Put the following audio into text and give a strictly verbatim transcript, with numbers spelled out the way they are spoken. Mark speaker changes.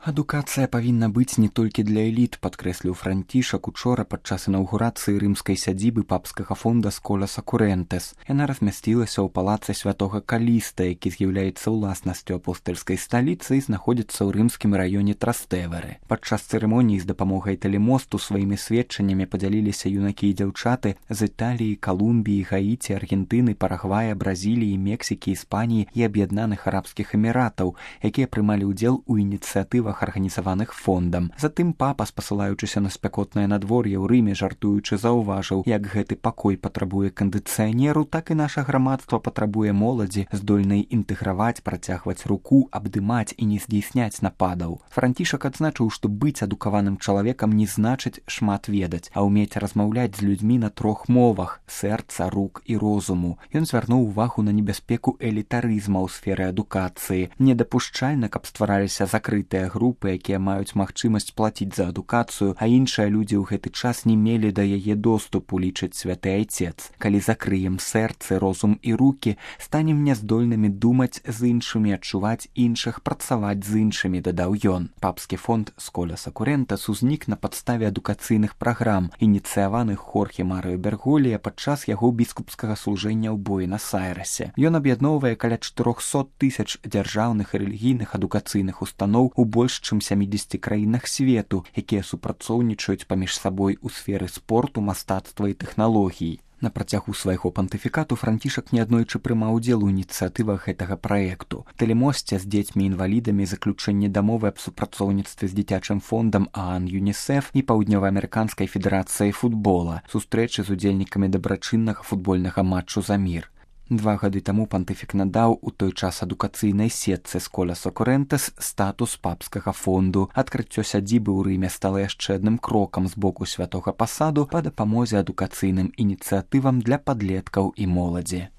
Speaker 1: Адукацыя павінна быць не толькі для эліт, падкрэсліў Францішак учора падчас інаўгурацыі рымскай сядзібы папскага фонда Скола Сакурэнтэс. Яна размясцілася ў палацы святога Каліста, які з'яўляецца ўласнасцю апостальскай сталіцы і знаходзіцца ў рымскім раёне Трастэверы. Падчас цырымоніі з дапамогай тэлемосту сваімі сведчаннямі падзяліліся юнакі і дзяўчаты з Італіі, Калумбіі, Гаіці, Аргентыны, Парагвая, Бразіліі, Мексікі, Іспаніі і Аб'яднаных Арабскіх Эміратаў, якія прымалі ўдзел у ініцыятывах арганізаваных фондам. Затым папа, спасылаючыся на спякотнае надвор'е ў Рыме, жартуючы заўважыў, як гэты пакой патрабуе кандыцыянеру, так і наша грамадства патрабуе моладзі, здольнай інтэграваць, працягваць руку, абдымаць і не здзейсняць нападаў. Францішак адзначыў, што быць адукаваным чалавекам не значыць шмат ведаць, а ўмець размаўляць з людзьмі на трох мовах: сэрца, рук і розуму. Ён звярнуў увагу на небяспеку элітарызма ў сферы адукацыі. Недапушчальна, каб ствараліся закрытыя групы, якія маюць магчымасць плаціць за адукацыю, а іншыя людзі ў гэты час не мелі да яе доступу, лічыць святы айцец. Калі закрыем сэрцы, розум і рукі, станем няздольнымі думаць з іншымі, адчуваць іншых, працаваць з іншымі, дадаў ён. Папскі фонд Скола Сакурэнтэс узнік на падставе адукацыйных праграм, ініцыяваных Хорхе Марыё Берголія падчас яго біскупскага служэння ў Буэнас-Айрэсе. Ён аб'ядноўвае каля чатырохсот тысяч дзяржаўных і рэлігійных адукацыйных устаноў у больш чым сямідзесяці краінах свету, якія супрацоўнічаюць паміж сабой у сферы спорту, мастацтва і тэхналогій. На працягу свайго пантыфікату Францішак неаднойчы прымаў удзел у ініцыятывах гэтага праекту. Тэлемосце з дзецьмі-інвалідамі, заключэнне дамовы аб супрацоўніцтве з дзіцячым фондам ААН ЮНІСЕФ і Паўднёва-амерыканскай федэрацыяй футбола, сустрэчы з удзельнікамі дабрачыннага футбольнага матчу за мір. Два гады таму пантыфік надаў у той час адукацыйнай сетцы Скола Сакурэнтэс статус папскага фонду. Адкрыццё сядзібы ў Рыме стала яшчэ адным крокам з боку святога пасаду па дапамозе адукацыйным ініцыятывам для падлеткаў і моладзі.